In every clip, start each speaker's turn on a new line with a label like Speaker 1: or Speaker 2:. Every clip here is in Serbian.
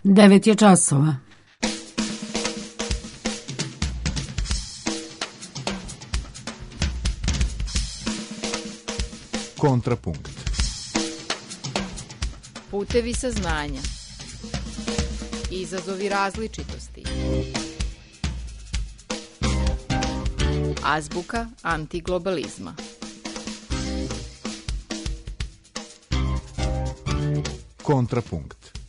Speaker 1: 9 je časova.
Speaker 2: Kontrapunkt.
Speaker 3: Putevi saznanja. Izazovi različitosti. Azbuka antiglobalizma.
Speaker 2: Kontrapunkt.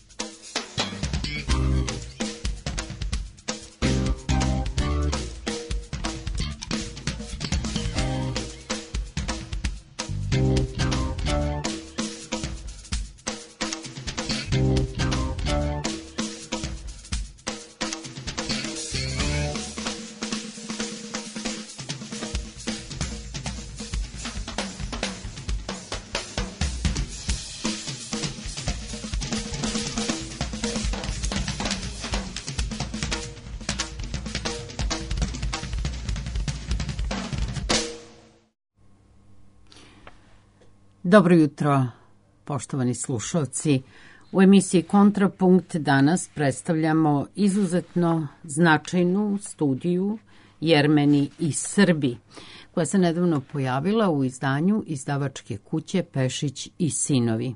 Speaker 1: Dobro jutro, poštovani slušalci. U emisiji Kontrapunkt danas predstavljamo izuzetno značajnu studiju Jermeni i Srbi, koja se nedavno pojavila u izdanju izdavačke kuće Pešić i sinovi.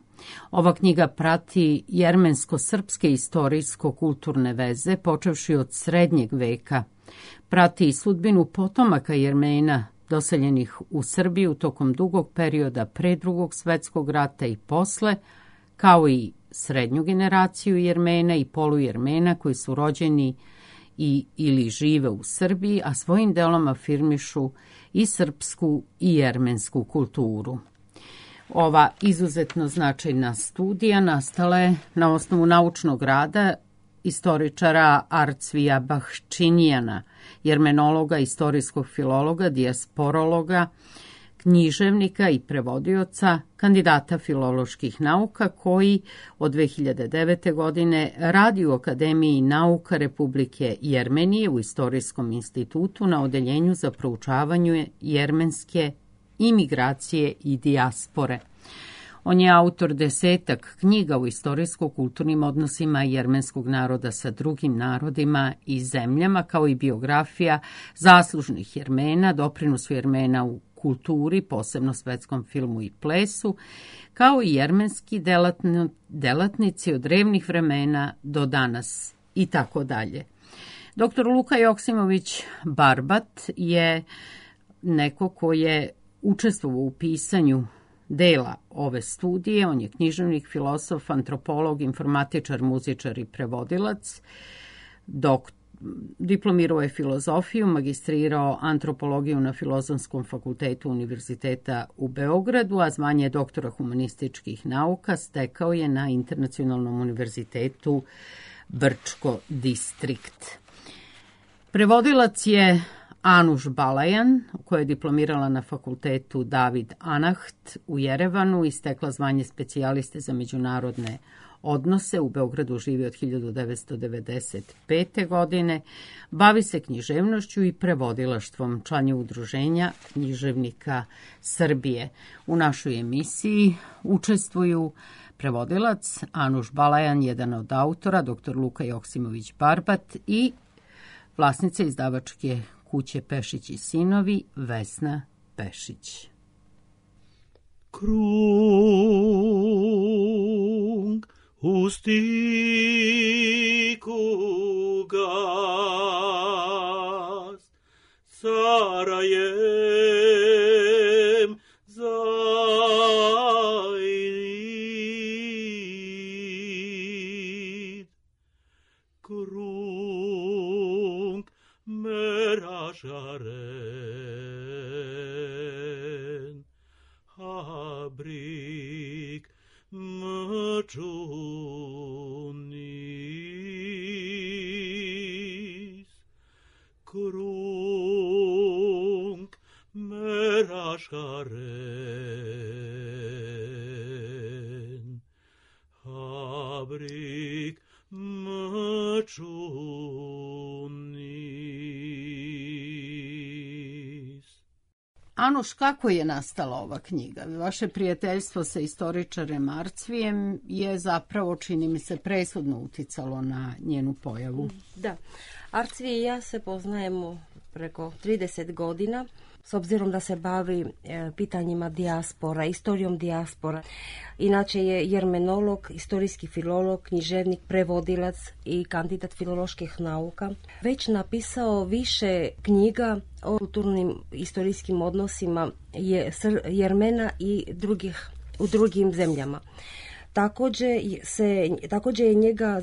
Speaker 1: Ova knjiga prati jermensko-srpske istorijsko-kulturne veze, počevši od srednjeg veka. Prati i sudbinu potomaka Jermena, doseljenih u Srbiju tokom dugog perioda pre Drugog svetskog rata i posle, kao i srednju generaciju Jermena i polujermena koji su rođeni ili žive u Srbiji, a svojim delom afirmišu i srpsku i jermensku kulturu. Ova izuzetno značajna studija nastala je na osnovu naučnog rada istoričara Arcvija Bahčinijana, jermenologa, istorijskog filologa, dijasporologa, književnika i prevodioca, kandidata filoloških nauka koji od 2009. godine radi u Akademiji nauka Republike Jermenije u Istorijskom institutu na odeljenju za proučavanje jermenske imigracije i dijaspore. On je autor 10 knjiga u istorijsko-kulturnim odnosima jermenskog naroda sa drugim narodima i zemljama, kao i biografija zaslužnih Jermena, doprinosu Jermena u kulturi, posebno svetskom filmu i plesu, kao i jermenski delatnici od drevnih vremena do danas i tako dalje. Dr. Luka Joksimović Barbat je neko ko je učestvovao u pisanju dela ove studije. On je književnik, filosof, antropolog, informatičar, muzičar i prevodilac. Diplomirao je filozofiju, magistrirao antropologiju na Filozofskom fakultetu Univerziteta u Beogradu, a zvanje doktora humanističkih nauka stekao je na Internacionalnom univerzitetu Brčko distrikt. Prevodilac je Anuš Balajan, koja je diplomirala na fakultetu David Anaht u Jerevanu i stekla zvanje specijaliste za međunarodne odnose. U Beogradu živi od 1995. godine. Bavi se književnošću i prevodilaštvom. Član je Udruženja književnika Srbije. U našoj emisiji učestvuju prevodilac Anuš Balajan, jedan od autora, dr. Luka Joksimović Barbat i vlasnica izdavačke kuće Pešić i sinovi, Vesna Pešić.
Speaker 4: Krung u stiku gas, Sarajem zajrid. Krung meražaren, habrik măciunis. Krung meražaren, habrik măciunis.
Speaker 1: Anoš, kako je nastala ova knjiga? Vaše prijateljstvo sa istoričarem Arcvijem je zapravo, čini mi se, presudno uticalo na njenu pojavu.
Speaker 5: Da, Arcvije i ja se poznajemo preko 30 godina, s obzirom da se bavi pitanjima dijaspora, istorijom dijaspora. Inače je jermenolog, istorijski filolog, književnik, prevodilac i kandidat filoloških nauka. Već napisao više knjiga o kulturnim istorijskim odnosima Jermena i u drugim zemljama. Također je njega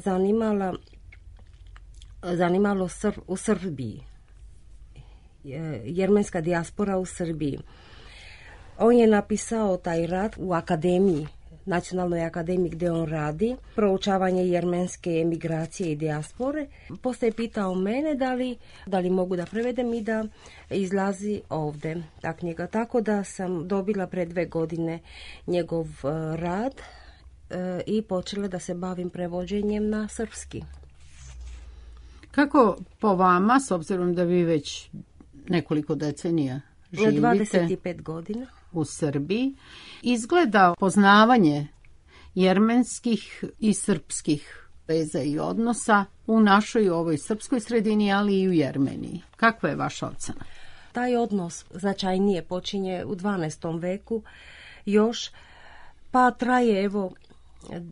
Speaker 5: zanimalo u Srbiji. Jermenska dijaspora u Srbiji. On je napisao taj rad u akademiji, Nacionalnoj akademiji gdje on radi, proučavanje jermenske emigracije i dijaspore. Poslije je pitao mene da li mogu da prevedem i da izlazi ovdje ta knjiga. Tako da sam dobila pred 2 godine njegov rad i počela da se bavim prevođenjem na srpski.
Speaker 1: Kako po vama, s obzirom da vi već nekoliko decenija živite
Speaker 5: 25 godina
Speaker 1: u Srbiji, izgleda poznavanje jermenskih i srpskih veza i odnosa u našoj ovoj srpskoj sredini, ali i u Jermeniji? Kakva je vaša ocena?
Speaker 5: Taj odnos značajnije počinje u 12. veku još, pa traje evo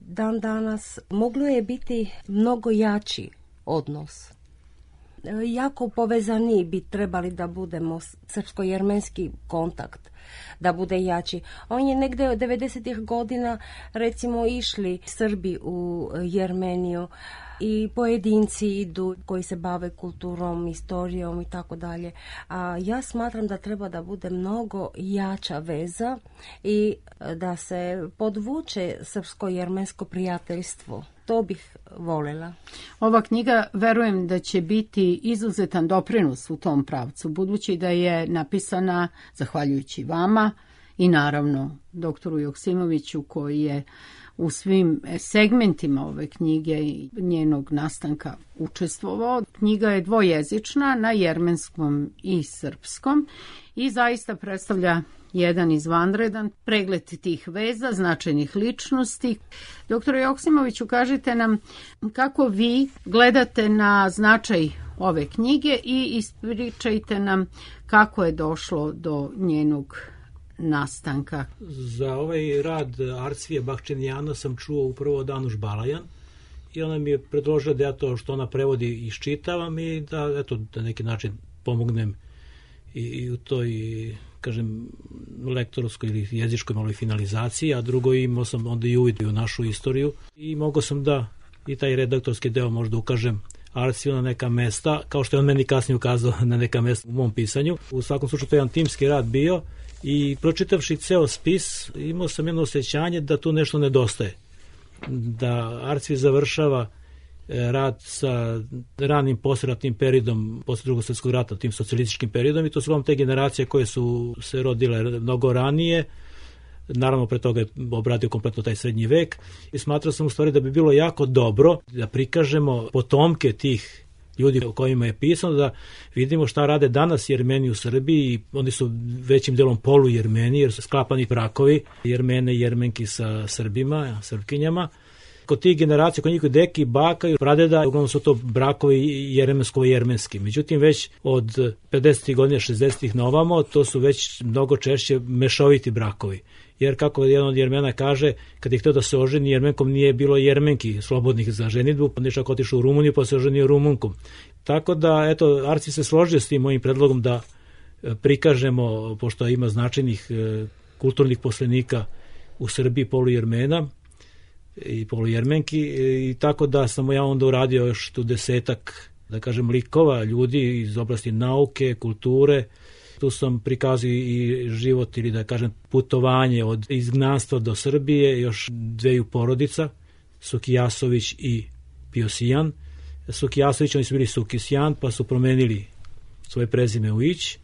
Speaker 5: dan danas. Moglo je biti mnogo jači odnos. Jako povezani bi trebali da budemo, srpsko-jermenski kontakt da bude jači. On je negde od 90. godina recimo išli Srbi u Jermeniju i pojedinci idu koji se bave kulturom, istorijom i tako dalje. A ja smatram da treba da bude mnogo jača veza i da se podvuče srpsko-jermensko prijateljstvo. To bih voljela.
Speaker 1: Ova knjiga, verujem da će biti izuzetan doprinos u tom pravcu, budući da je napisana zahvaljujući vama i naravno doktoru Joksimoviću, koji je u svim segmentima ove knjige i njenog nastanka učestvovao. Knjiga je dvojezična, na jermenskom i srpskom, i zaista predstavlja jedan izvanredan pregled tih veza, značajnih ličnosti. Doktore Joksimoviću, kažite nam kako vi gledate na značaj ove knjige i ispričajte nam kako je došlo do njenog nastanka.
Speaker 4: Za ovaj rad Arcvije Bahčenjana sam čuo upravo od Anuš Balajan i ona mi je predložila da ja to što ona prevodi iščitavam i da, eto, da neki način pomognem i u toj, kažem, lektorskoj ili jezičkoj malo finalizaciji, a drugo imao sam onda i uvid u našu istoriju i mogao sam da i taj redaktorski deo možda ukažem Arcviju na neka mesta, kao što je on meni kasnije ukazao na neka mesta u mom pisanju. U svakom slučaju to je jedan timski rad bio i pročitavši ceo spis imao sam jedno osjećanje da tu nešto nedostaje. Da Arcvi završava rad sa ranim posleratnim periodom, posle Drugog svjetskog rata, tim socijalističkim periodom, i to su vam te generacije koje su se rodile mnogo ranije. Naravno, pre toga je obradio kompletno taj srednji vek i smatrao sam u stvari da bi bilo jako dobro da prikažemo potomke tih ljudi o kojima je pisano, da vidimo šta rade danas Jermeni u Srbiji, i oni su većim delom polu-Jermeni, jer su sklapani brakovi Jermene i Jermenki sa Srbima, Srpkinjama. Kod tih generacija, kod njihovi deki, baka i pradeda, uglavnom su to brakovi jermensko-jermenski. Međutim, već od 50. godina, 60. na ovamo, to su već mnogo češće mešoviti brakovi. Jer kako jedan od Jermena kaže, kad je htio da se oženi Jermenkom, nije bilo Jermenki slobodnih za ženidbu, pa nešto ako otišao u Rumuniju, pa se oženio Rumunkom. Tako da, eto, Arci se složio s tim mojim predlogom da prikažemo, pošto ima značajnih kulturnih poslenika u Srbiji, polu-Jermena i polu-Jermenki, i tako da sam ja onda uradio još tu 10-ak, da kažem, likova, ljudi iz oblasti nauke, kulture. Tu sam prikazao i život, ili da kažem putovanje od izgnanstva do Srbije, još 2 porodica, Sukijasović i Piosijan. Sukijasović, oni su bili Sukisjan, pa su promenili svoje prezime u Ić.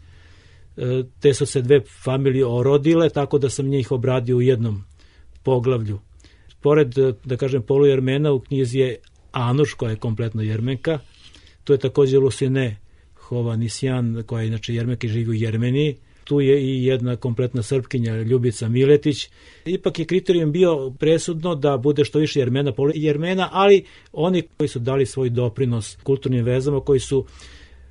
Speaker 4: Te su se 2 familije orodile, tako da sam njih obradio u jednom poglavlju. Pored, da kažem, polu-Jermena, u knjizi je Anuš, koja je kompletno Jermenka. Tu je također Lusine Hovanisjan, koja je inače Jermenka i živi u Jermeniji. tu je i jedna kompletna Srpkinja, Ljubica Miletić. Ipak je kriterijum bio presudno da bude što više Jermena, ali oni koji su dali svoj doprinos kulturnim vezama, koji su,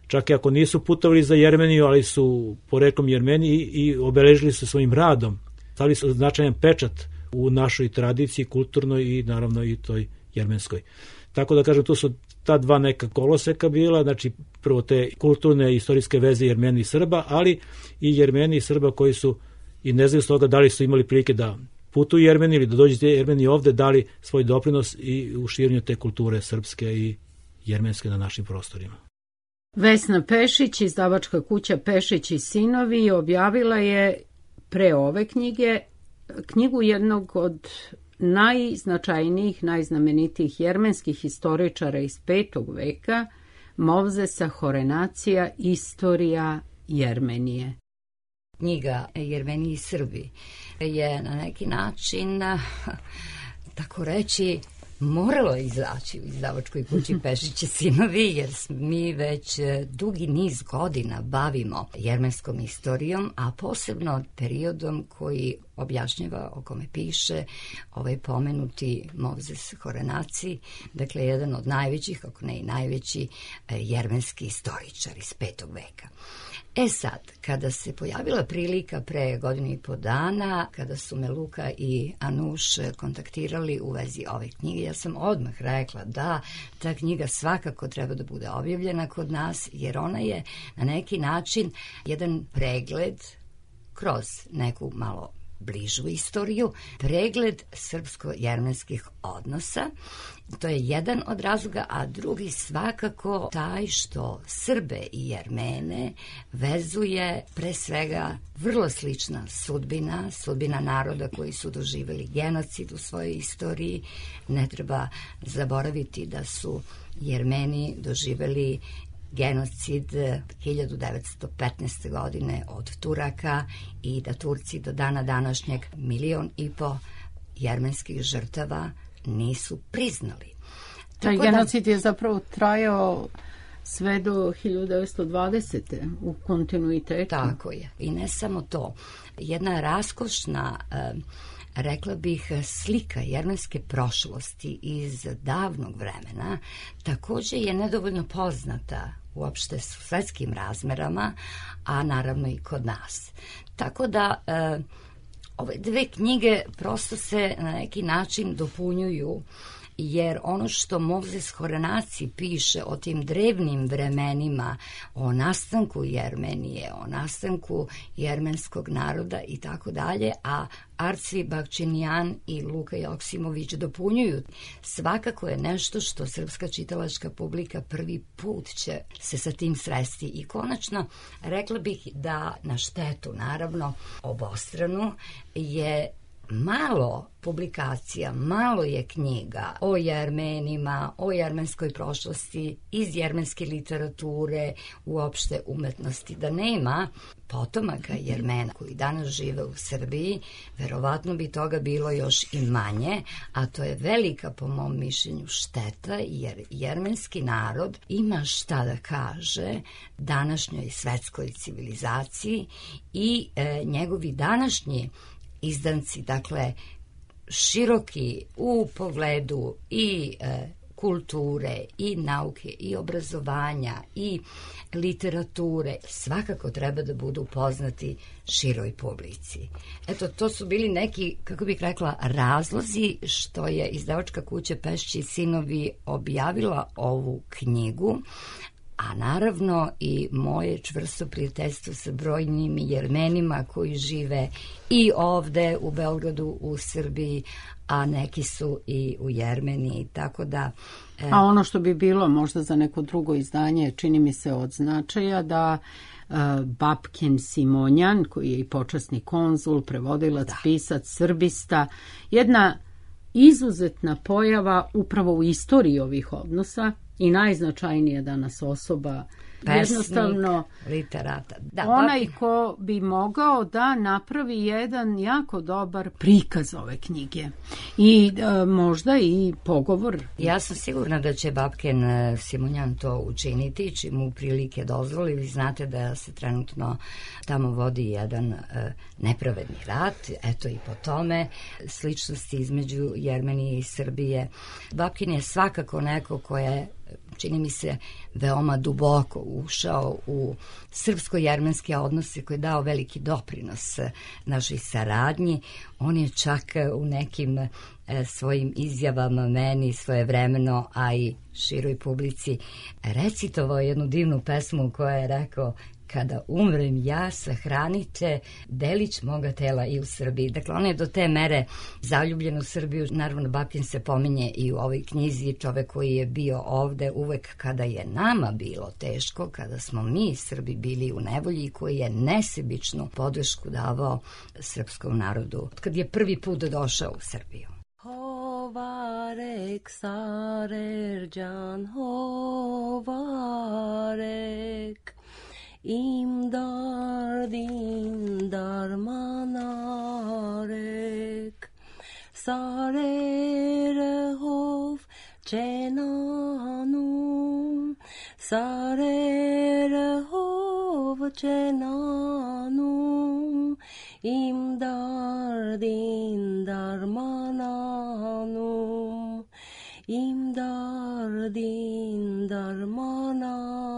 Speaker 4: čak i ako nisu putovali za Jermeniju, ali su poreklom Jermeni i obeležili se svojim radom. Stavili su značajan pečat u našoj tradiciji, kulturnoj i naravno i toj jermenskoj. Tako da kažem, tu su ta dva neka koloseka bila, znači prvo te kulturne i istorijske veze Jermeni i Srba, ali i Jermeni i Srba koji su, i ne znaju s toga da li su imali prilike da putuju Jermeni ili da dođu Jermeni ovde, dali svoj doprinos i u širenju te kulture srpske i jermenske na našim prostorima.
Speaker 1: Vesna Pešić, izdavačka kuća Pešić i sinovi, objavila je pre ove knjigu jednog od najznačajnijih, najznamenitijih jermenskih historičara iz 5. veka, Movzesa Horenacija, Istorija Jermenije.
Speaker 6: Knjiga Jermeni i Srbi je na neki način, tako reći, moralo izaći u izdavačkoj kući Pešić i sinovi, jer mi već dugi niz godina bavimo jermenskom istorijom, a posebno periodom koji objašnjava, o kome piše ovaj pomenuti Movzes Horenaci, dakle jedan od najvećih, ako ne i najveći jermenski istoričar iz 5. veka. Sad, kada se pojavila prilika pre 1.5 godina, kada su me Luka i Anuš kontaktirali u vezi ove knjige, ja sam odmah rekla da ta knjiga svakako treba da bude objavljena kod nas, jer ona je na neki način jedan pregled kroz neku malo bližu istoriju, pregled srpsko-jermenskih odnosa. To je jedan od razloga, a drugi svakako taj što Srbe i Jermene vezuje pre svega vrlo slična sudbina naroda koji su doživjeli genocid u svojoj istoriji. Ne treba zaboraviti da su Jermeni doživjeli genocid 1915. godine od Turaka i da Turci do dana današnjeg 1,5 miliona jermenskih žrtava nisu priznali.
Speaker 1: Taj genocid je zapravo trajao sve do 1920. u kontinuitetu.
Speaker 6: Tako je. I ne samo to. Jedna raskošna, rekla bih, slika jermenske prošlosti iz davnog vremena također je nedovoljno poznata uopšte s svetskim razmerama, a naravno i kod nas. Tako da ove dve knjige prosto se na neki način dopunjuju, jer ono što Movzes Horenaci piše o tim drevnim vremenima, o nastanku Jermenije, o nastanku jermenskog naroda i tako dalje, a Arcvi Bakčinijan i Luka Joksimović dopunjuju, svakako je nešto što srpska čitalačka publika prvi put će se sa tim sresti. I konačno, rekla bih da na štetu, naravno, obostranu je malo publikacija, malo je knjiga o Jermenima, o jermenskoj prošlosti, iz jermenske literature, uopšte umetnosti. Da nema potomaka Jermena koji danas žive u Srbiji, verovatno bi toga bilo još i manje, a to je velika, po mom mišljenju, šteta, jer jermenski narod ima šta da kaže današnjoj svetskoj civilizaciji i njegovi današnji izdanci, dakle, široki u pogledu i kulture, i nauke, i obrazovanja, i literature, svakako treba da budu poznati široj publici. Eto, to su bili neki, kako bih rekla, razlozi što je izdavačka kuća Pešić i sinovi objavila ovu knjigu, a naravno i moje čvrsto prijateljstvo sa brojnim Jermenima koji žive i ovde u Beogradu, u Srbiji, a neki su i u Jermeniji, tako da...
Speaker 1: A ono što bi bilo možda za neko drugo izdanje, čini mi se od značaja, da Babkin Simonjan, koji je i počasni konzul, prevodilac, pisac, srbista, jedna izuzetna pojava upravo u istoriji ovih odnosa, i najznačajnija danas osoba, jednostavno
Speaker 6: literata. Da,
Speaker 1: onaj ko bi mogao da napravi jedan jako dobar prikaz ove knjige i možda i pogovor.
Speaker 6: Ja sam sigurna da će Babkin Simonjan to učiniti, čim mu prilike dozvoli. Vi znate da se trenutno tamo vodi jedan nepravedni rat, eto i po tome sličnosti između Jermenije i Srbije. Babkin je svakako neko ko je, čini mi se, veoma duboko ušao u srpsko-jermenske odnose, koji je dao veliki doprinos našoj saradnji. On je čak u nekim svojim izjavama meni svojevremeno, a i široj publici, recitovao jednu divnu pesmu koja je rekao: kada umrem ja, sahranite delić moga tela i u Srbiji. Dakle, on je do te mere zaljubljen u Srbiju. Naravno, Babkin se pominje i u ovoj knjizi, čovek koji je bio ovde uvek kada je nama bilo teško, kada smo mi Srbi bili u nevolji, koji je nesebičnu podršku davao srpskom narodu kad je prvi put došao u Srbiju.
Speaker 5: Hovarek Sarercan, hovarek İmdar dindar manarek Sarere hov cenanum Sarere hov cenanum İmdar dindar mananum İmdar dindar mananum.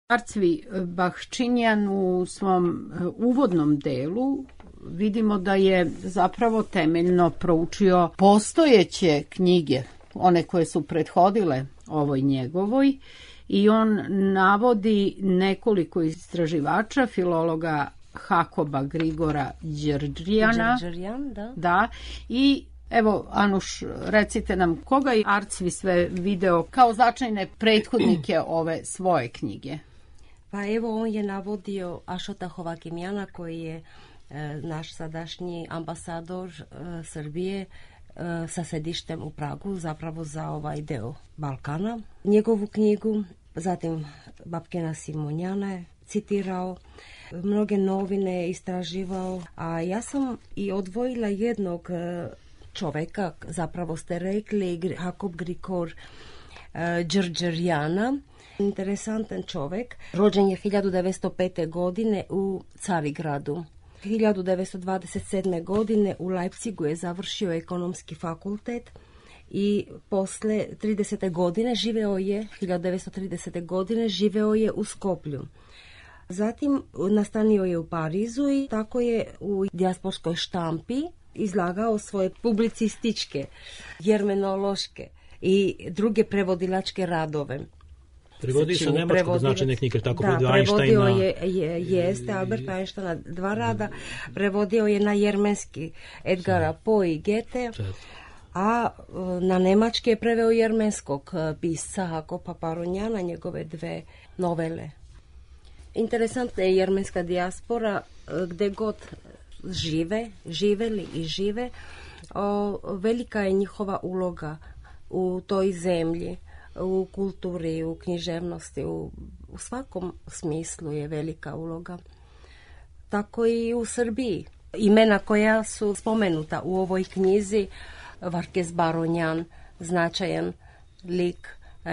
Speaker 1: Arcvi Bahčinjan u svom uvodnom delu vidimo da je zapravo temeljno proučio postojeće knjige, one koje su prethodile ovoj njegovoj i on navodi nekoliko istraživača, filologa Hakoba Grigora Đerđijana. Da. I evo, Anuš, recite nam koga je Arcvi sve video kao značajne prethodnike ove svoje knjige?
Speaker 5: Pa evo, on je navodio Ašota Hovakimjana koji je naš sadašnji ambasador Srbije sa sedištem u Pragu, zapravo za ovaj deo Balkana. Njegovu knjigu, zatim Babkena Simonjana je citirao, mnoge novine istraživao, a ja sam i odvojila jednog čoveka, zapravo ste rekli, Hakob Grigor Đerđijana. Interesantan čovek, rođen je 1905. godine u Carigradu. 1927. godine u Leipzigu je završio ekonomski fakultet i posle 30. godine živeo je, 1930. godine živeo je u Skoplju. Zatim nastanio je u Parizu i tako je u dijasporskoj štampi izlagao svoje publicističke, jermenološke i druge prevodilačke radove.
Speaker 4: Prevodi sa nemačkog značajne knjige, tako
Speaker 5: da, prevodio jeste Albert Einsteina 2 rada, prevodio je na jermenski Edgara Poe i Goethe, a na nemački je preveo jermenskog pisca Hakoba Paronjana, njegove 2 novele. Interesantna je jermenska dijaspora, gde god živeli i žive, velika je njihova uloga u toj zemlji, u kulturi, u književnosti, u svakom smislu je velika uloga. Tako i u Srbiji. Imena koja su spomenuta u ovoj knjizi, Varkes Baronjan, značajan lik,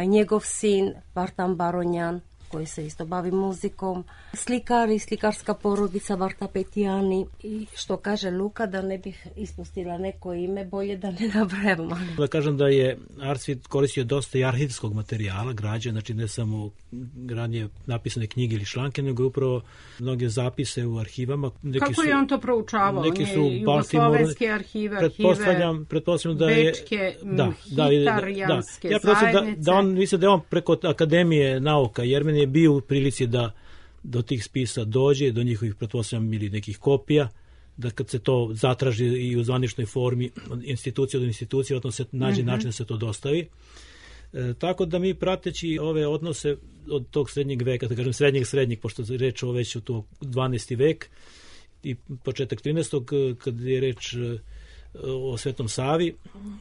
Speaker 5: njegov sin Vartan Baronjan, koji se isto bavi muzikom, slikar i slikarska porodica Varta Petijani i što kaže Luka, da ne bih ispustila neko ime, bolje da ne nabrajamo.
Speaker 4: Da kažem da je Arcvi koristio dosta i arhivskog materijala, građe, znači ne samo ranije napisane knjige ili članke, nego upravo mnoge zapise u arhivama.
Speaker 1: Kako je on to proučavao?
Speaker 4: Neki su
Speaker 1: jugoslovenske arhive,
Speaker 4: pretpostavljam da je
Speaker 1: bečke, hitarijanske zajednice.
Speaker 4: Da on, mislim da je on preko Akademije nauka, Jermen je bio u prilici da do tih spisa dođe, do njihovih, pretpostavljam, ili nekih kopija, da kad se to zatraži i u zvaničnoj formi od institucije do institucije, odnosno se nađe način da se to dostavi. Tako da mi prateći ove odnose od tog srednjeg veka, da kažem srednjeg, pošto je reč o već u to 12. vek i početak 13. kad je reč o Svetom Savi,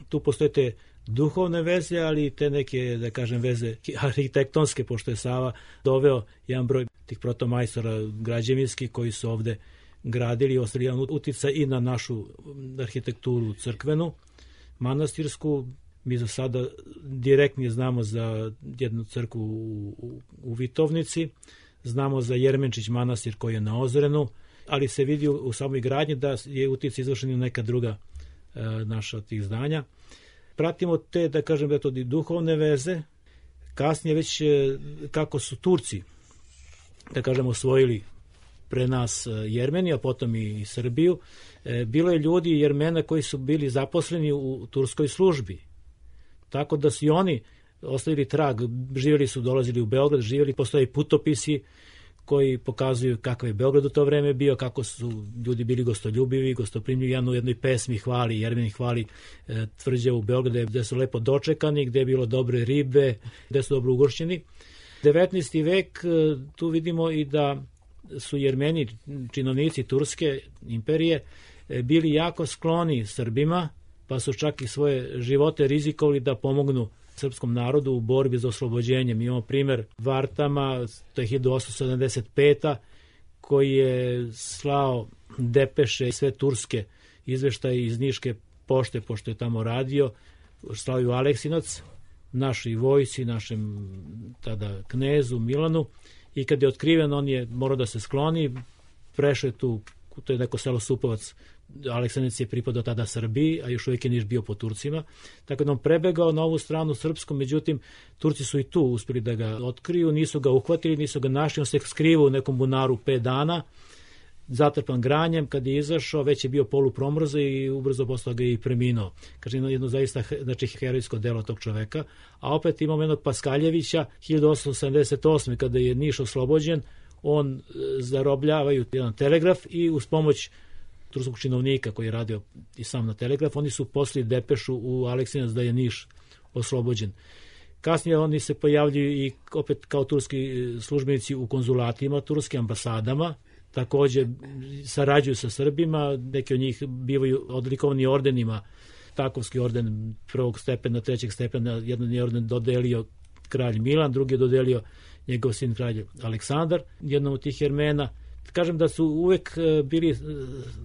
Speaker 4: tu postoje te duhovne veze, ali i te neke, da kažem, veze arhitektonske, pošto je Sava doveo jedan broj tih protomajstora građevinskih koji su ovde gradili i ostavili jedan uticaj i na našu arhitekturu crkvenu, manastirsku. Mi za sada direktnije znamo za jednu crkvu u Vitovnici, znamo za Jermenčić manastir koji je na Ozrenu, ali se vidi u samoj gradnji da je uticaj izvršen i neka druga naša od tih zdanja. Pratimo te, da kažem, da to duhovne veze, kasnije već kako su Turci, da kažem, osvojili pre nas Jermeniju, a potom i Srbiju, bilo je ljudi Jermena koji su bili zaposleni u turskoj službi. Tako da su i oni ostavili trag, živjeli su, dolazili u Beograd, postoje putopisi koji pokazuju kakav je Beograd u to vreme bio, kako su ljudi bili gostoljubivi, gostoprimljivi. U jednoj pesmi hvali, Jermen hvali tvrđavu u Beogradu gde su lepo dočekani, gde je bilo dobre ribe, gde su dobro ugošćeni. 19. vek, tu vidimo i da su Jermeni, činovnici Turske imperije, bili jako skloni Srbima, pa su čak i svoje živote rizikovali da pomognu srpskom narodu u borbi za oslobođenje. Mi imamo primer Vartama, to je 1875. koji je slao depeše i sve turske izveštaje iz Niške pošte, pošto je tamo radio, slao je u Aleksinac, našoj vojsi, našem tada knezu Milanu, i kad je otkriven, on je morao da se skloni, prešao je tu, to je neko selo Supovac, Aleksinac je pripadao tada Srbiji, a još uvijek je Niš bio po Turcima, tako da on prebegao na ovu stranu srpsku, međutim Turci su i tu uspjeli da ga otkriju, nisu ga uhvatili, nisu ga našli, on se skrivao u nekom bunaru 5 dana, zatrpan granjem, kad je izašao, već je bio polupromrzo i ubrzo posle ga je i preminuo. Kaže, jedno zaista herojsko delo tog čoveka. A opet imamo jednog Paskaljevića, 1878. kada je Niš oslobođen, on zarobljavaju jedan telegraf i uz pomoć turskog činovnika koji je radio i sam na telegraf, oni su poslali depešu u Aleksinac da je Niš oslobođen. Kasnije oni se pojavljuju i opet kao turski službenici u konzulatima, turskim ambasadama, takođe sarađuju sa Srbima, neki od njih bivaju odlikovani ordenima, Takovski orden prvog stepena, trećeg stepena, jedan je orden dodelio kralj Milan, drugi je dodelio njegov sin kralj Aleksandar, jednom od tih Jermena. Kažem da su uvek bili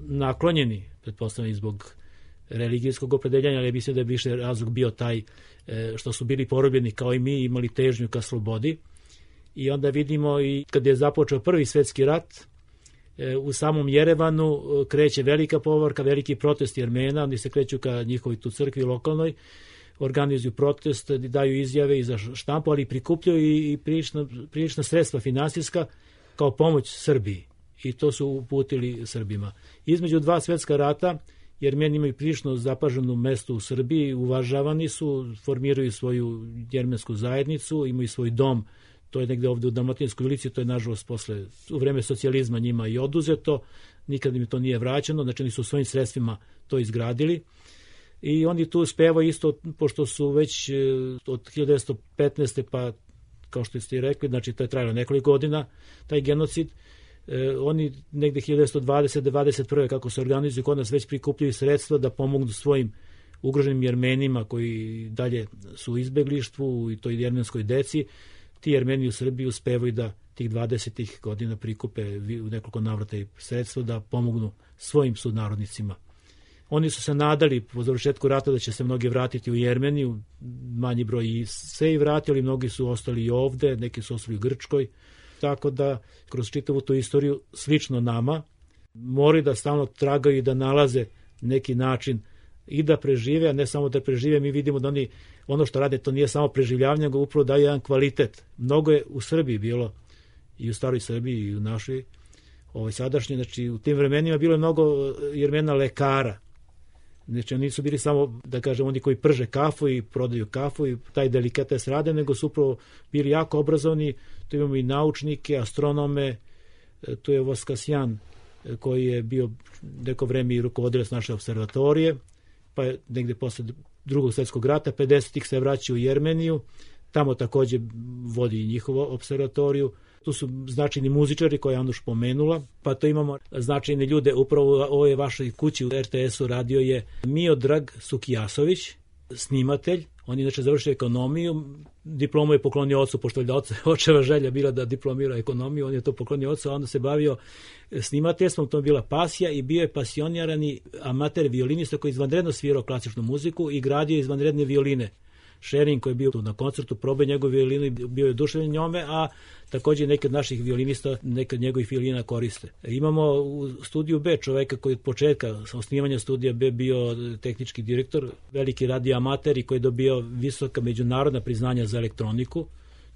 Speaker 4: naklonjeni, pretpostavljeni zbog religijskog opredeljanja, ali mislim da je više razlog bio taj što su bili porobljeni kao i mi, imali težnju ka slobodi. I onda vidimo i kad je započeo Prvi svetski rat, u samom Jerevanu kreće velika povorka, veliki protest Jermena, oni se kreću ka njihovoj tu crkvi lokalnoj, organizuju protest, daju izjave i za štampu, ali prikupljaju i prilična sredstva finansijska kao pomoć Srbiji. I to su uputili Srbima. Između dva svetska rata Jermeni imaju prilično zapaženo mesto u Srbiji, uvažavani su, formiraju svoju jermensku zajednicu, imaju svoj dom, to je negde ovde u Dalmatinskoj ulici, to je nažalost posle, u vreme socijalizma njima i oduzeto, nikad im to nije vraćeno, znači oni su svojim sredstvima to izgradili. I oni tu uspevaju isto, pošto su već od 1915. pa, kao što ste i rekli, znači to je trajalo nekoliko godina, taj genocid, oni negde 1920-21. kako se organizuju kod nas već prikupljaju sredstva da pomognu svojim ugroženim Jermenima koji dalje su u izbeglištvu i toj jermenskoj deci. Ti Jermeni u Srbiji uspevaju da tih 20. godina prikupe u nekoliko navrata i sredstva da pomognu svojim sunarodnicima. Oni su se nadali po završetku rata da će se mnogi vratiti u Jermeniju, manji broj i se i vratili, mnogi su ostali i ovde, neki su ostali u Grčkoj, tako da kroz čitavu tu istoriju, slično nama, moraju da stalno tragaju i da nalaze neki način i da prežive, a ne samo da prežive, mi vidimo da oni, ono što rade, to nije samo preživljavanje, nego upravo daju jedan kvalitet. Mnogo je u Srbiji bilo, i u staroj Srbiji i u našoj, sadašnje, znači u tim vremenima bilo je mnogo Jermena lekara. Znači oni nisu bili samo, da kažem, oni koji prže kafu i prodaju kafu i taj delikates rade, nego su upravo bili jako obrazovani. Tu imamo i naučnike, astronome, tu je Voskasjan koji je bio neko vreme i rukovodilac naše observatorije, pa je negde posle Drugog svjetskog rata, 50-ih se vraća u Jermeniju, tamo takođe vodi njihovu observatoriju. Tu su značajni muzičari koje je Anuš pomenula, pa to imamo značajne ljude. Upravo u ovoj vašoj kući u RTS-u radio je Miodrag Sukijasović, snimatelj. On je inače završio ekonomiju, diplomu je poklonio ocu, pošto je očeva želja bila da diplomira ekonomiju, on je to poklonio ocu, a onda se bavio snimateljstvom, to je bila pasija i bio je pasionirani amater violinista koji izvanredno svirao klasičnu muziku i gradio izvanredne violine. Šerin koji je bio tu na koncertu, probao njegov violinu i bio je oduševljen njome, a takođe neki od naših violinista neke od njegovih violina koriste. Imamo u studiju B čoveka koji od početka osnivanja studija B bio tehnički direktor, veliki radio amater i koji je dobio visoka međunarodna priznanja za elektroniku.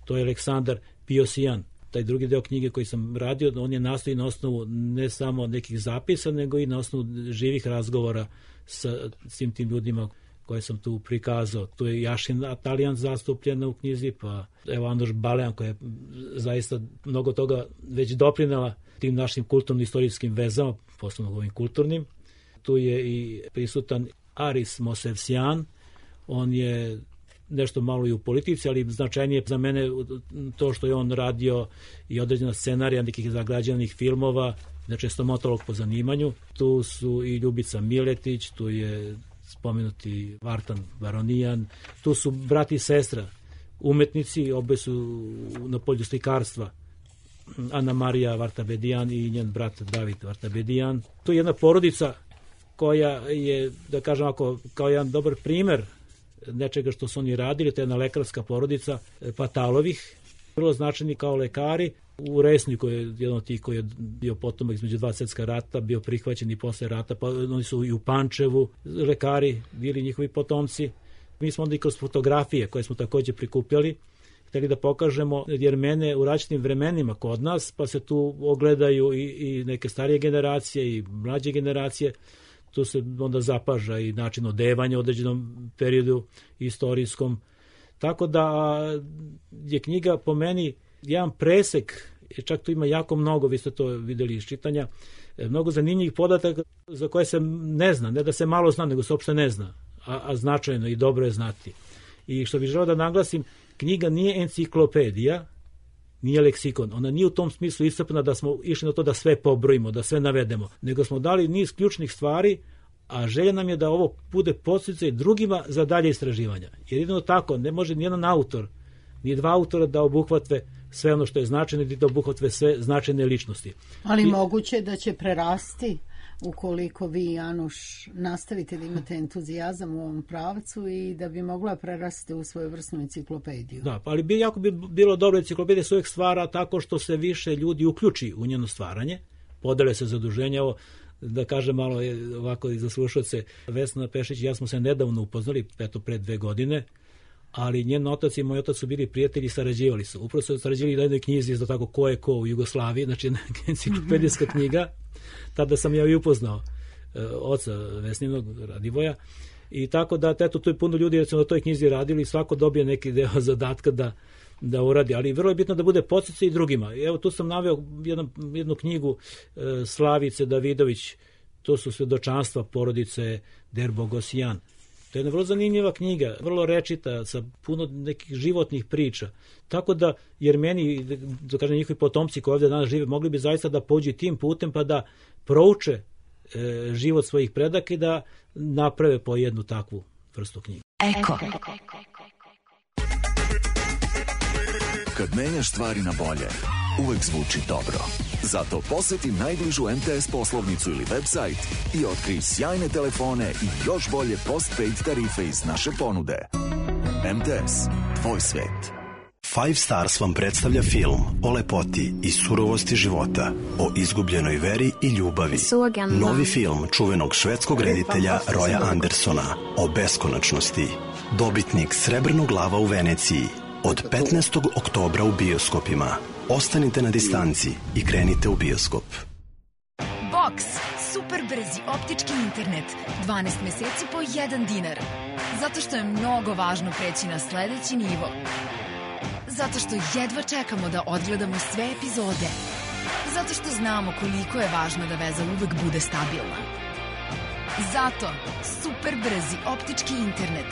Speaker 4: To je Aleksandar Piosijan. Taj drugi deo knjige koji sam radio, on je nastoji na osnovu ne samo nekih zapisa, nego i na osnovu živih razgovora sa svim tim ljudima koje sam tu prikazao. Tu je Jašin Atalijan zastupljena u knjizi, pa evo Anuš Balajan koja je zaista mnogo toga već doprinela tim našim kulturno-istorijskim vezama, posebno ovim kulturnim. Tu je i prisutan Aris Mosevsjan, on je nešto malo i u politici, ali značajnije za mene to što je on radio i određena scenarija nekih zagrađenih filmova, znači stomatolog po zanimanju. Tu su i Ljubica Miletić, tu je spomenuti Vartan Varonijan, tu su brat i sestra, umetnici, obe su na polju slikarstva, Ana Marija Vartabedijan i njen brat David Vartabedijan. Tu je jedna porodica koja je, da kažem ako, kao jedan dobar primer nečega što su oni radili, to je jedna lekarska porodica Patalovih, vrlo značajni kao lekari. U Resniku je jedan od tih koji je bio potomak između dva svjetska rata, bio prihvaćen i posle rata, pa oni su i u Pančevu lekari, bili njihovi potomci. Mi smo onda i kroz fotografije koje smo takođe prikupljali, hteli da pokažemo Jermene u različitim vremenima kod nas, pa se tu ogledaju i neke starije generacije i mlađe generacije. Tu se onda zapaža i način odevanja u određenom periodu istorijskom. Tako da je knjiga po meni jedan presek, čak tu ima jako mnogo, vi ste to videli iz čitanja, mnogo zanimljivih podataka za koje se ne zna, ne da se malo zna, nego se uopšte ne zna, a značajno i dobro je znati. I što bih želeo da naglasim, knjiga nije enciklopedija, nije leksikon, ona nije u tom smislu iscrpna da smo išli na to da sve pobrojimo, da sve navedemo, nego smo dali niz ključnih stvari, a želja nam je da ovo bude podsticaj drugima za dalje istraživanja. Jer jedino tako, ne može nijedan autor, ni dva autora da obuhvate sve ono što je značajno, da obuhvate sve značajne ličnosti.
Speaker 1: Ali moguće da će prerasti ukoliko vi, Januš, nastavite da imate entuzijazam u ovom pravcu i da bi mogla prerasti u svojevrsnu enciklopediju.
Speaker 4: Da, ali jako bi bilo dobro, enciklopedija se uvijek stvara tako što se više ljudi uključi u njeno stvaranje, podele se zaduženja. Ovo, da kažem malo ovako i za slušalce, Vesna Pešić i ja smo se nedavno upoznali, eto pre 2 godine, ali njen otac i moj otac su bili prijatelji i sarađivali su. Upravo su sarađivali na jednoj knjizi za tako ko je ko u Jugoslaviji, znači enciklopedijska knjiga. Tada sam ja i upoznao oca Vesninog, Radivoja, i tako da eto, tu je puno ljudi da su na toj knjizi radili i svako dobije neki deo zadatka da uradi, ali vrlo je bitno da bude podsticaj i drugima. Evo tu sam naveo jednu knjigu Slavice Davidović, to su svedočanstva porodice Derbogosjan. To je jedna vrlo zanimljiva knjiga, vrlo rečita, sa puno nekih životnih priča. Tako da Jermeni, da kažem njihovi potomci koji ovdje danas žive, mogli bi zaista da pođu tim putem pa da prouče život svojih predaka i da naprave po jednu takvu vrstu knjiga.
Speaker 7: Eko. Kad menjaš stvari na bolje, uvek zvuči dobro. Zato poseti najbližu MTS poslovnicu ili website i otkrij sjajne telefone i još bolje postpaid tarife iz naše ponude. MTS, tvoj svet.
Speaker 8: Five Stars vam predstavlja film o lepoti i surovosti života, o izgubljenoj veri i ljubavi. Novi film čuvenog švedskog reditelja Roya Andersona o beskonačnosti. Dobitnik Srebrnog lava u Veneciji. Od 15. oktobra u bioskopima. Ostanite na distanci i krenite u bioskop.
Speaker 9: Box. Super brzi optički internet. 12 meseci po $1. Zato što je mnogo važno preći na sledeći nivo. Zato što jedva čekamo da odgledamo sve epizode. Zato što znamo koliko je važno da veza uvek bude stabilna. Zato super brzi optički internet.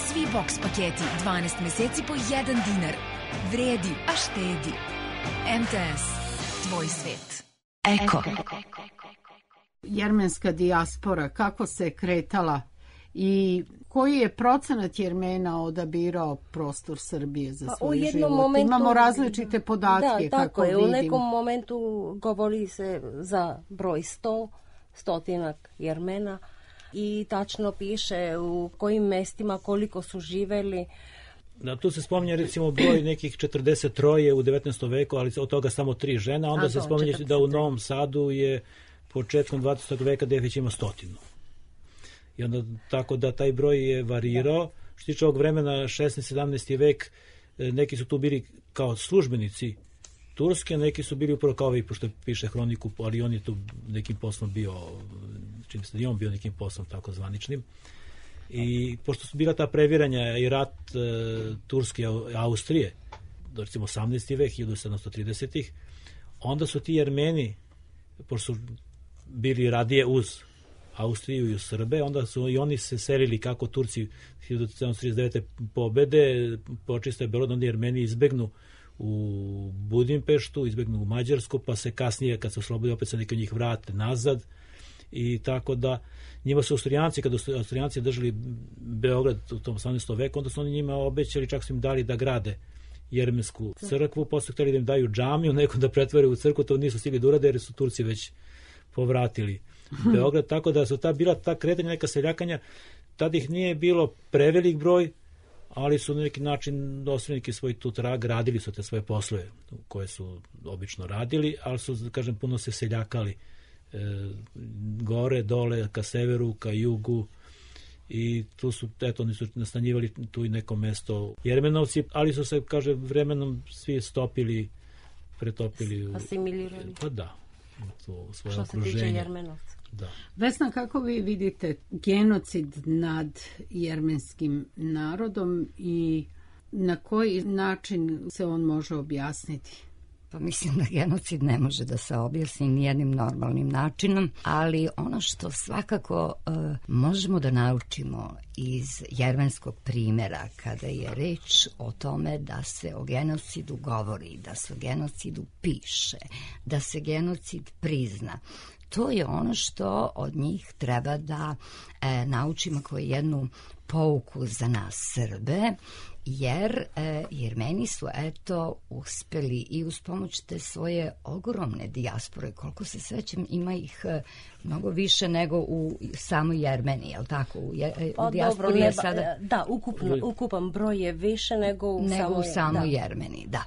Speaker 9: Svi box paketi 12 meseci po $1. Vredi, a štedi. MTS, tvoj svet.
Speaker 7: Eko.
Speaker 1: Jermenska dijaspora, kako se kretala i koji je procenat Jermena odabirao prostor Srbije za svoj život?
Speaker 5: Momentu,
Speaker 1: imamo različite podatke.
Speaker 5: Da, tako
Speaker 1: kako
Speaker 5: je.
Speaker 1: vidim.
Speaker 5: U nekom momentu govori se za broj 100, stotinak Jermena i tačno piše u kojim mestima koliko su živeli.
Speaker 4: Da, tu se spominje recimo broj nekih 43 u 19. veku, ali od toga samo 3 žena. Onda se spominje da u Novom Sadu je početkom 20. veka da već ima 100. I onda tako da taj broj je varirao. Što tiče ovog vremena 16. 17. vek, neki su tu bili kao službenici Turske, neki su bili upravo kao ovi, pošto piše hroniku, ali on je tu nekim poslom bio, čim se i on bio nekim poslom tako zvaničnim. I pošto su bila ta previranja i rat Turske i Austrije, recimo 18. vek, 1730-ih, onda su ti Jermeni, pošto su bili radije uz Austriju i uz Srbe, onda su i oni se selili kako Turci 1739. pobede, počiste Beograd, onda Jermeni izbegnu u Budimpeštu, izbegnu u Mađarsku, pa se kasnije, kad se oslobodi, opet se neki od njih vrate nazad. I tako da njima su Austrijanci, kada su Austrijanci držali Beograd u tom 18. veku, onda su oni njima obećali, čak su im dali da grade jermensku crkvu, posle hteli da im daju džamiju, neko da pretvore u crkvu, to nisu stigli da urade jer su Turci već povratili Beograd, tako da su bila ta kretanja, neka seljakanja, tada ih nije bilo prevelik broj, ali su na neki način osnovniki svoj tu trag, radili su te svoje poslove koje su obično radili, ali su, kažem, puno se seljakali gore, dole, ka severu, ka jugu i tu su, eto, oni su nastanjivali tu i neko mesto Jermenovci, ali su se, kaže, vremenom svi stopili, pretopili.
Speaker 5: Asimilirali.
Speaker 4: Pa da, to svoje
Speaker 5: što
Speaker 4: okruženje.
Speaker 5: Što se tiče Jermenovca.
Speaker 4: Da.
Speaker 1: Vesna, kako vi vidite genocid nad jermenskim narodom i na koji način se on može objasniti?
Speaker 6: Pa mislim da genocid ne može da se objasni nijednim normalnim načinom, ali ono što svakako možemo da naučimo iz jermenskog primjera kada je reč o tome da se o genocidu govori, da se o genocidu piše, da se genocid prizna, to je ono što od njih treba da naučimo kao jednu pouku za nas Srbe, jer Jermeni su eto uspeli i uz pomoć te svoje ogromne dijaspore, koliko se sećam ima ih mnogo više nego u samoj Jermeniji, je li tako? U dijaspori je sada...
Speaker 5: Da, ukupan broj je više nego u
Speaker 6: samoj Jermeniji, da.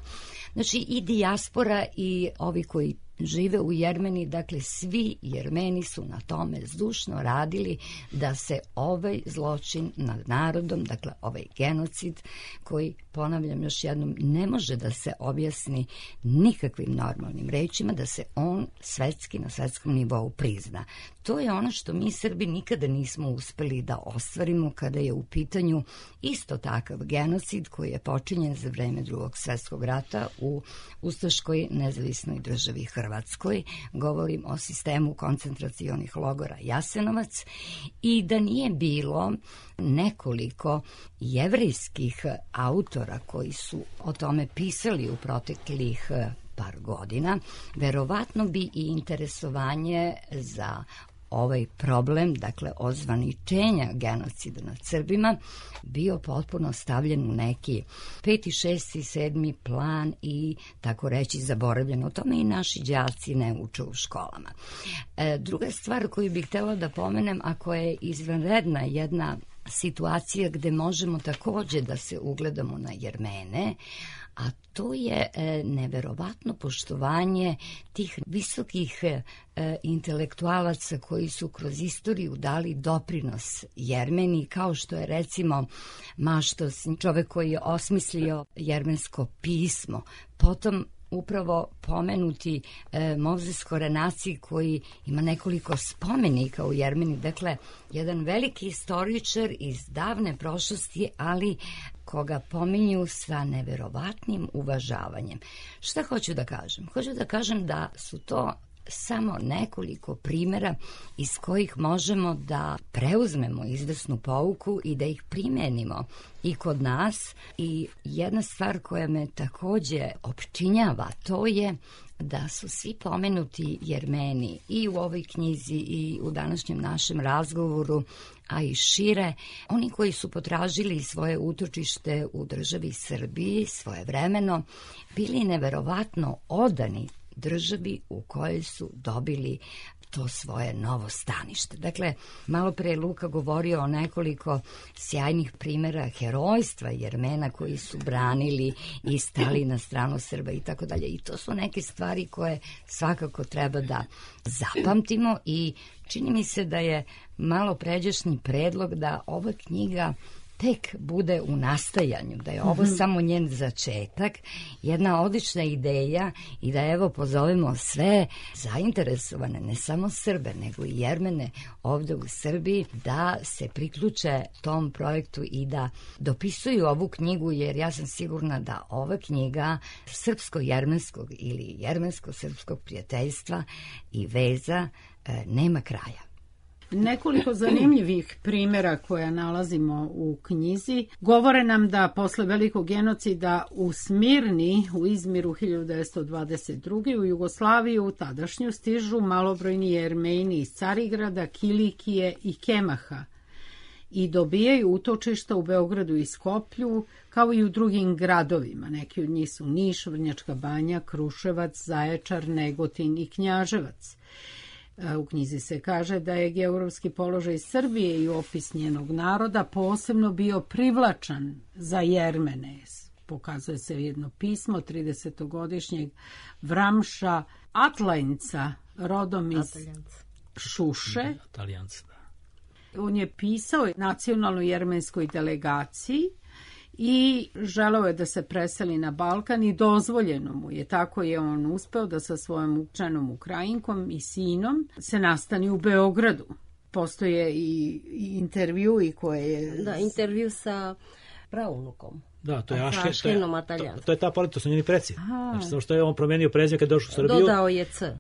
Speaker 6: Znači i dijaspora i ovi koji žive u Jermeniji, dakle svi Jermeni su na tome zdušno radili da se ovaj zločin nad narodom, dakle ovaj genocid koji, ponavljam još jednom, ne može da se objasni nikakvim normalnim rečima, da se on svetski, na svetskom nivou prizna. To je ono što mi Srbi nikada nismo uspeli da ostvarimo kada je u pitanju isto takav genocid koji je počinjen za vreme Drugog svetskog rata u ustaškoj nezavisnoj državi Hrvatskoj. Govorim o sistemu koncentracionih logora Jasenovac i da nije bilo nekoliko jevrejskih autora koji su o tome pisali u proteklih par godina, verovatno bi i interesovanje za ovaj problem, dakle ozvaničenja genocida nad Srbima, bio potpuno stavljen u neki 5., 6. i 7. plan i tako reći zaboravljen. O tome i naši đaci ne uče u školama. Druga stvar koju bih htjela da pomenem, a koja je izvanredna jedna situacija gde možemo takođe da se ugledamo na Jermene, a to je neverovatno poštovanje tih visokih intelektualaca koji su kroz istoriju dali doprinos Jermeniji, kao što je recimo Maštos, čovek koji je osmislio jermensko pismo, potom upravo pomenuti Mozes Korenaci koji ima nekoliko spomenika u Jermeniji, dakle jedan veliki istoričar iz davne prošlosti, ali koga pominju sa neverovatnim uvažavanjem. Šta hoću da kažem? Hoću da kažem da su to samo nekoliko primjera iz kojih možemo da preuzmemo izvesnu pouku i da ih primenimo i kod nas. I jedna stvar koja me takođe opčinjava, to je da su svi pomenuti Jermeni i u ovoj knjizi i u današnjem našem razgovoru, a i šire, oni koji su potražili svoje utočište u državi Srbiji svojevremeno, bili neverovatno odani državi u kojoj su dobili to svoje novo stanište. Dakle, malo pre je Luka govorio o nekoliko sjajnih primjera herojstva Jermena koji su branili i stali na stranu Srba i tako dalje. I to su neke stvari koje svakako treba da zapamtimo i čini mi se da je malo pređašnji predlog da ova knjiga tek bude u nastajanju, da je ovo samo njen začetak, jedna odlična ideja i da evo pozovemo sve zainteresovane, ne samo Srbe, nego i Jermene ovde u Srbiji, da se priključe tom projektu i da dopisuju ovu knjigu, jer ja sam sigurna da ova knjiga srpsko-jermenskog ili jermensko-srpskog prijateljstva i veza nema kraja.
Speaker 1: Nekoliko zanimljivih primjera koja nalazimo u knjizi govore nam da posle velikog genocida u Smirni, u Izmiru 1922. u Jugoslaviju tadašnju stižu malobrojni Jermeni iz Carigrada, Kilikije i Kemaha i dobijaju utočišta u Beogradu i Skoplju, kao i u drugim gradovima. Neki od njih su Niš, Vrnjačka Banja, Kruševac, Zaječar, Negotin i Knjaževac. U knjizi se kaže da je geografski položaj Srbije i opis njenog naroda posebno bio privlačan za Jermene. Pokazuje se jedno pismo 30-godišnjeg Vramša Atlajnca, rodom iz Šuše. On je pisao nacionalnoj jermenskoj delegaciji i želeo je da se preseli na Balkan i dozvoljeno mu je. Tako je on uspeo da sa svojom učenom Ukrajinkom i sinom se nastani u Beogradu. Postoje i intervju i koje je...
Speaker 5: Da, intervju sa praunukom.
Speaker 4: Da, to je
Speaker 5: Aškenom Mataljan.
Speaker 4: To je ta politika, to su njeni preci. Znači, samo što je on promenio prezime kad je došao u Srbiju.
Speaker 5: Dodao je C.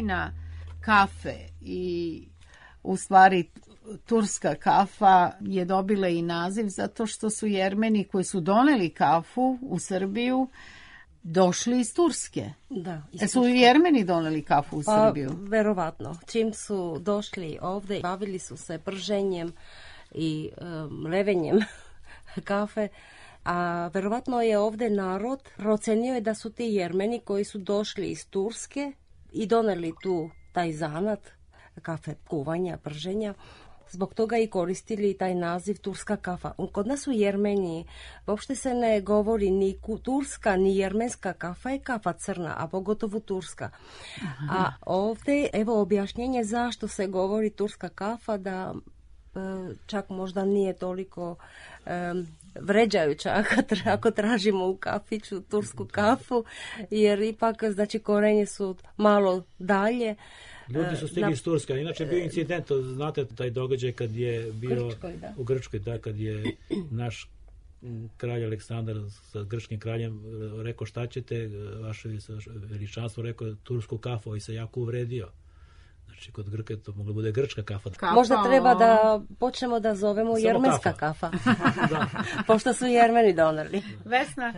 Speaker 1: tajna kafe i u stvari turska kafa je dobila i naziv zato što su Jermeni koji su doneli kafu u Srbiju došli iz Turske.
Speaker 5: Da,
Speaker 1: su Jermeni doneli kafu u Srbiju?
Speaker 5: Verovatno. Čim su došli ovde, bavili su se prženjem i levenjem kafe, a verovatno je ovde narod procenio je da su ti Jermeni koji su došli iz Turske i doneli tu taj zanat kafe kuvanja, prženja, zbog toga i koristili taj naziv turska kafa. Kod nas u Jermeniji uopšte se ne govori ni turska ni jermenska kafa, je kafa crna, a pogotovo turska. Aha. A ovde, evo objašnjenje zašto se govori turska kafa, da čak možda nije toliko vređajuća ako tražimo u kafiću tursku kafu, jer ipak znači korenje su malo dalje.
Speaker 4: Ljudi su stigli iz Turska. Inače bio incident, znate taj događaj kad je bio u Grčkoj, da, kad je naš kralj Aleksandar sa grčkim kraljem rekao šta ćete, vaše veličanstvo, rekao tursku kafu i se jako uvredio. Znači, kod Grka to mogla bude grčka kafa.
Speaker 5: Možda treba da počnemo da zovemo jermenska kafa. Pošto su Jermeni doneli.
Speaker 1: Vesna,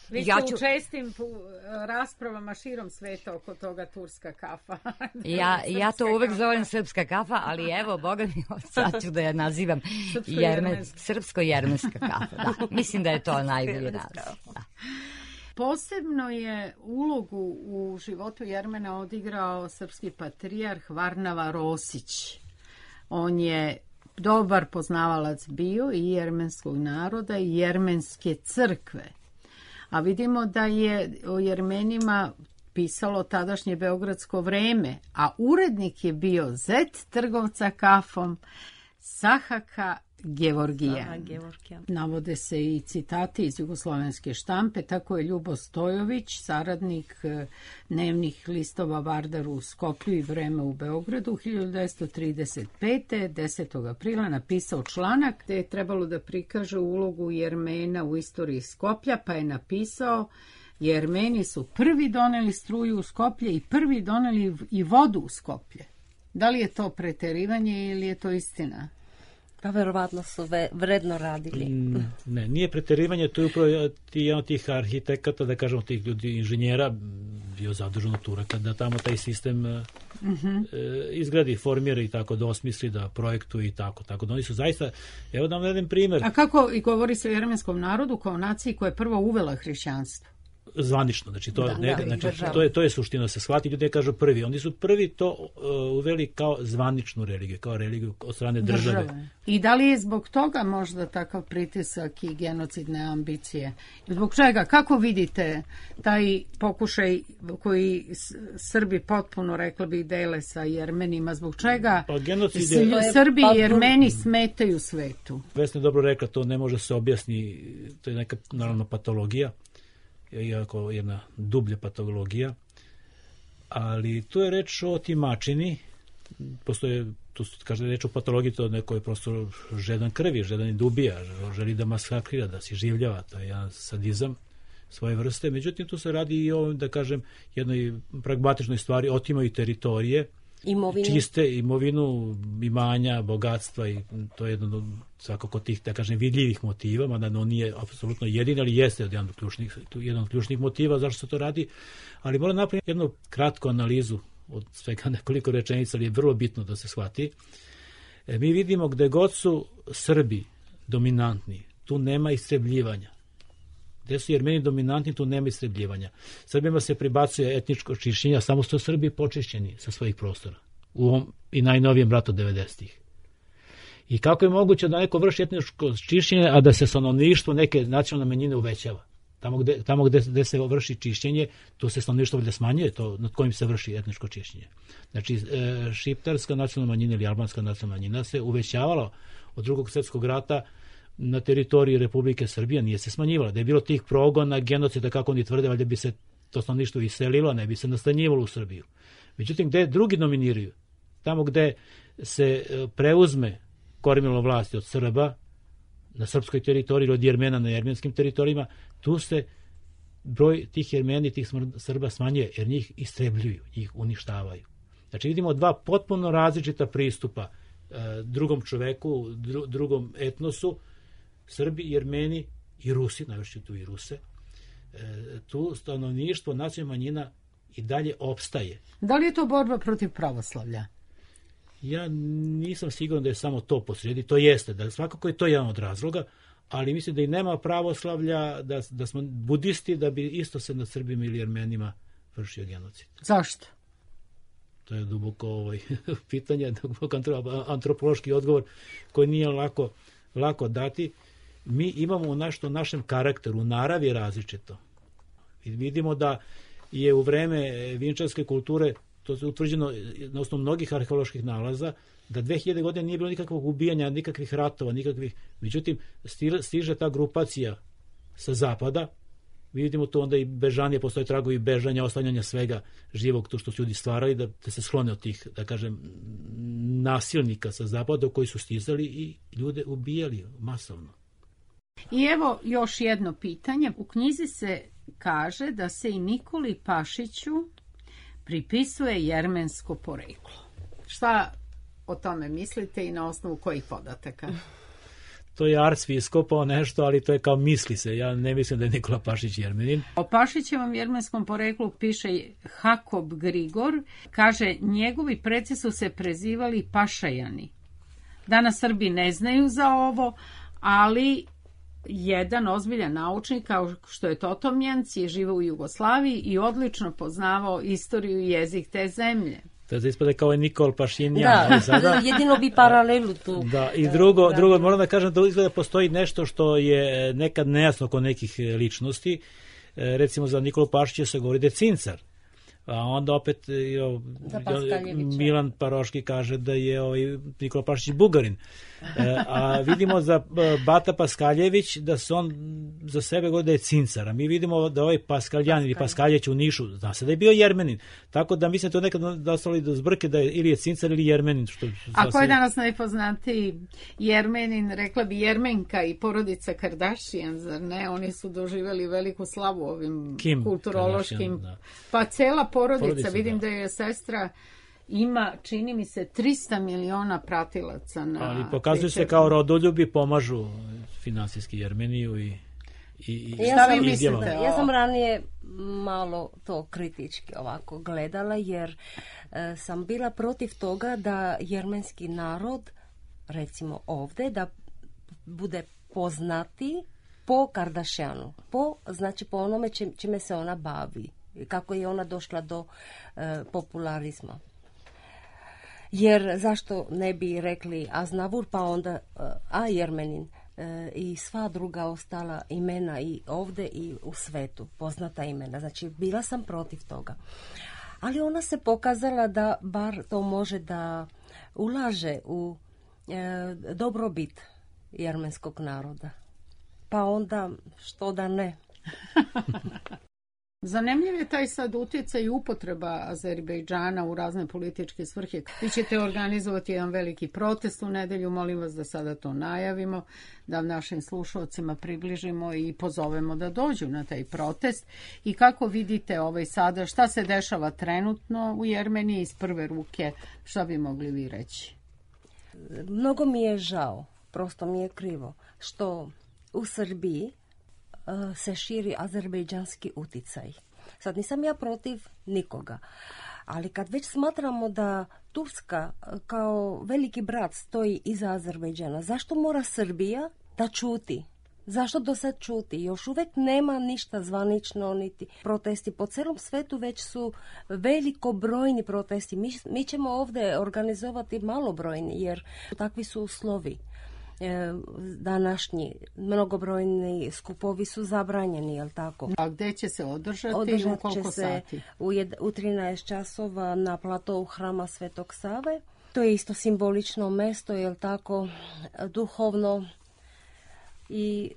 Speaker 1: vi ste u čestim raspravama širom sveta oko toga turska kafa.
Speaker 6: Ja to uvek zovem srpska kafa, ali evo, Boga mi, sad ću da je nazivam srpsko-jermenska kafa. Da. Mislim da je to najbolji naziv. Da.
Speaker 1: Posebno je ulogu u životu Jermena odigrao srpski patrijarh Varnava Rosić. On je dobar poznavalac bio i jermenskog naroda i jermenske crkve. A vidimo da je o Jermenima pisalo tadašnje Beogradsko vreme, a urednik je bio zet trgovca kafom Sahaka Gevorgijan. Navode se i citati iz jugoslovenske štampe, tako je Ljubo Stojović, saradnik dnevnih listova Vardar u Skoplju i Vreme u Beogradu, 1935. 10. aprila napisao članak gde je trebalo da prikaže ulogu Jermena u istoriji Skoplja, pa je napisao: Jermeni su prvi doneli struju u Skoplje i prvi doneli i vodu u Skoplje. Da li je to preterivanje ili je to istina?
Speaker 5: Pa verovatno su vredno radili.
Speaker 4: Ne, nije preterivanje, to je upravo jedan od tih arhitekata, da kažemo tih ljudi, inženjera, bio zadužen od Turaka, da tamo taj sistem izgradi, formira i tako, da osmisli, da projektuje i tako. Tako da oni su zaista, evo da vam jedan primjer.
Speaker 1: A kako i govori se o jermenskom narodu kao naciji koja je prvo uvela hrišćanstvo?
Speaker 4: Zvanično, znači to je suština, se shvati, ljudi kažu prvi. Oni su prvi to uveli kao zvaničnu religiju, kao religiju od strane države.
Speaker 1: I da li je zbog toga možda takav pritisak i genocidne ambicije? Zbog čega? Kako vidite taj pokušaj koji Srbi potpuno, rekla bih, dele sa Jermenima? Zbog čega Srbi i Jermeni smetaju svetu?
Speaker 4: Vesna je dobro rekla, to ne može se objasni, to je neka naravno patologija, iako jedna dublja patologija, ali tu je reč o otimačini, postoje, tu kaže reč o patologiji, to neko je prosto žedan krvi, žedan i dubija, želi da masakrira, da se življava, to je jedan sadizam svoje vrste, međutim tu se radi i o, da kažem, jednoj pragmatičnoj stvari, otimaju teritorije, čiste imovinu, imanja, bogatstva, i to je jedno svakako tih, da kažem, vidljivih motiva, mada on nije apsolutno jedin, ali jeste jedan od ključnih motiva zašto se to radi, ali moram napraviti jednu kratku analizu od svega nekoliko rečenica, ali je vrlo bitno da se shvati. Mi vidimo gde god su Srbi dominantni, tu nema istrebljivanja. Gde su Jermeni dominantni, tu nema istrebljivanja. Srbima se pribacuje etničko čišćenje, a samo su Srbi počišćeni sa svojih prostora. U ovom i najnovijem ratu 90-ih. I kako je moguće da neko vrši etničko čišćenje, a da se stanovništvo neke nacionalne manjine uvećava? Tamo gde se vrši čišćenje, tu se stanovništvo valjda smanjuje, to nad kojim se vrši etničko čišćenje. Znači, šiptarska nacionalna manjina ili albanska nacionalna manjina se uvećavala od Drugog svjetskog rata na teritoriji Republike Srbije, nije se smanjivala. Da je bilo tih progona, genocida, kako oni tvrde, valjda bi se to stanovništvo iselilo, ne bi se nastanjivalo u Srbiju. Međutim, gde drugi dominiraju, tamo gde se preuzme kormilo vlasti od Srba na srpskoj teritoriji ili od Jermena na jermenskim teritorijima, tu se broj tih Jermeni, tih Srba smanjuje, jer njih istrebljuju, njih uništavaju. Znači, vidimo dva potpuno različita pristupa drugom čoveku, drugom etnosu, Srbi, Jermeni i Rusi, najviše tu i Ruse. Tu stanovništvo nacionalna manjina i dalje opstaje.
Speaker 1: Da li je to borba protiv pravoslavlja?
Speaker 4: Ja nisam siguran da je samo to posrijedi, to jeste, da svakako je to jedan od razloga, ali mislim da i nema pravoslavlja, da smo budisti, da bi isto se nad Srbima ili Jermenima vršio genocid.
Speaker 1: Zašto?
Speaker 4: To je duboko pitanje, duboko antropološki odgovor koji nije lako dati. Mi imamo u našem karakteru, u naravi je različito. I vidimo da je u vreme vinčarske kulture, to je utvrđeno na osnovu mnogih arheoloških nalaza, da 2000 godina nije bilo nikakvog ubijanja, nikakvih ratova, međutim, stiže ta grupacija sa zapada, vidimo to onda i bežanje, postoje tragovi bežanja, ostavljanja svega živog, to što su ljudi stvarali, da se sklone od tih, da kažem, nasilnika sa zapada koji su stizali i ljude ubijali masovno.
Speaker 1: I evo još jedno pitanje. U knjizi se kaže da se i Nikoli Pašiću pripisuje jermensko poreklo. Šta o tome mislite i na osnovu kojih podataka?
Speaker 4: To je Arcvi iskopao nešto, ali to je kao misli se. Ja ne mislim da je Nikola Pašić Jermenin.
Speaker 1: O Pašićevom jermenskom poreklu piše Hakob Grigor. Kaže, njegovi preci su se prezivali Pašajani. Danas Srbi ne znaju za ovo, ali jedan ozbiljan naučnik, kao što je Totomjanc, je živao u Jugoslaviji i odlično poznavao istoriju i jezik te zemlje.
Speaker 4: To je ispada kao je Nikol Pašinjan.
Speaker 5: Da, jedino bi paralelu tu.
Speaker 4: Da, i drugo, moram da kažem da izgleda postoji nešto što je nekad nejasno kod nekih ličnosti. Recimo za Nikolu Pašića se govori da je cincar. A onda opet Milan Paroški kaže da je Nikola Pašić Bugarin. A vidimo za Bata Paskaljević da se on za sebe govori da je cincar. A mi vidimo da ovaj Paskaljan ili Paskaljeć u Nišu, zna se da je bio Jermenin. Tako da mislim to nekad dostali do zbrke da je ili je cincar ili Jermenin.
Speaker 1: A ko je danas najpoznatiji Jermenin? Rekla bi Jermenka i porodica Kardashian, zar ne? Oni su doživjeli veliku slavu ovim kulturološkim. Pa cela porodica, vidim da je sestra ima, čini mi se, 300 miliona pratilaca na...
Speaker 4: Ali pokazuju se kao rodoljubi, pomažu finansijski Jermeniju i
Speaker 1: šta vi mislite?
Speaker 5: Ja sam ranije malo to kritički ovako gledala, jer sam bila protiv toga da jermenski narod, recimo ovde, da bude poznati po Kardashianu, znači po onome čime se ona bavi, kako je ona došla do popularizma. Jer zašto ne bi rekli Aznavur pa onda Jermenin i sva druga ostala imena i ovde i u svetu, poznata imena. Znači bila sam protiv toga. Ali ona se pokazala da bar to može da ulaže u dobrobit jermenskog naroda. Pa onda što da ne.
Speaker 1: Zanimljiv je taj sad utjecaj i upotreba Azerbejdžana u razne političke svrhe. Vi ćete organizovati jedan veliki protest u nedelju, molim vas da sada to najavimo, da našim slušalcima približimo i pozovemo da dođu na taj protest. I kako vidite sada, šta se dešava trenutno u Jermeniji iz prve ruke, šta bi mogli vi reći?
Speaker 5: Mnogo mi je žao, prosto mi je krivo, što u Srbiji se širi azerbejdžanski uticaj. Sad nisam ja protiv nikoga, ali kad već smatramo da Turska kao veliki brat stoji iza Azerbejdžana, zašto mora Srbija da čuti? Zašto do sad čuti? Još uvek nema ništa zvanično, niti protesti. Po celom svetu već su velikobrojni protesti. Mi ćemo ovde organizovati malobrojni, jer takvi su uslovi. Današnji mnogobrojni skupovi su zabranjeni, jel tako?
Speaker 1: A gde će se održati?
Speaker 5: Održat
Speaker 1: će
Speaker 5: se
Speaker 1: sati?
Speaker 5: U 13 časova na platou Hrama Svetog Save. To je isto simbolično mesto, jel tako, duhovno, i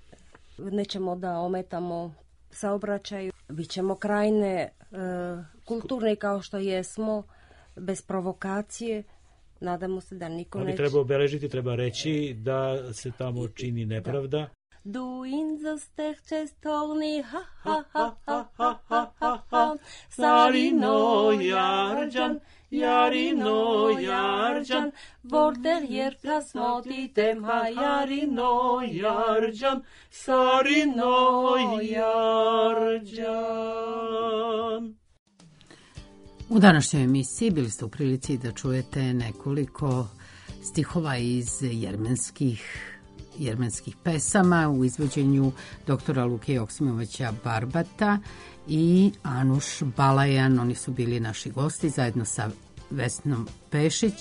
Speaker 5: nećemo da ometamo saobraćaju. Bićemo krajne kulturne kao što jesmo, bez provokacije. Nadamo se da niko neće...
Speaker 4: Ali treba obeležiti, treba reći da se tamo čini nepravda.
Speaker 5: Du inzosteh čestovni, ha ha ha ha ha ha ha ha, Sarino Jarđan, Jarino Jarđan, Vorter jerka smotitem, ha Jarino Jarđan, Sarino Jarđan.
Speaker 1: U današnjoj emisiji bili ste u prilici da čujete nekoliko stihova iz jermenskih pesama u izvođenju doktora Luke Joksimovića Barbata i Anuš Balajan. Oni su bili naši gosti zajedno sa Vesnom Pešić,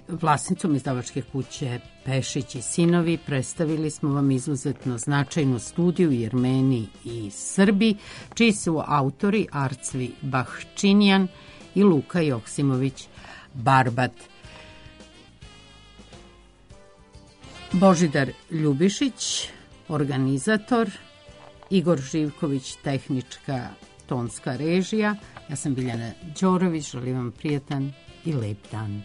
Speaker 1: vlasnicom izdavačke kuće Pešić i sinovi. Predstavili smo vam izuzetno značajnu studiju u Jermeniji i Srbiji, čiji su autori Arcvi Bahčinjan i Luka Joksimović Barbat. Božidar Ljubišić, organizator, Igor Živković, tehnička tonska režija. Ja sam Biljana Đorović, želim vam prijatan i lep dan.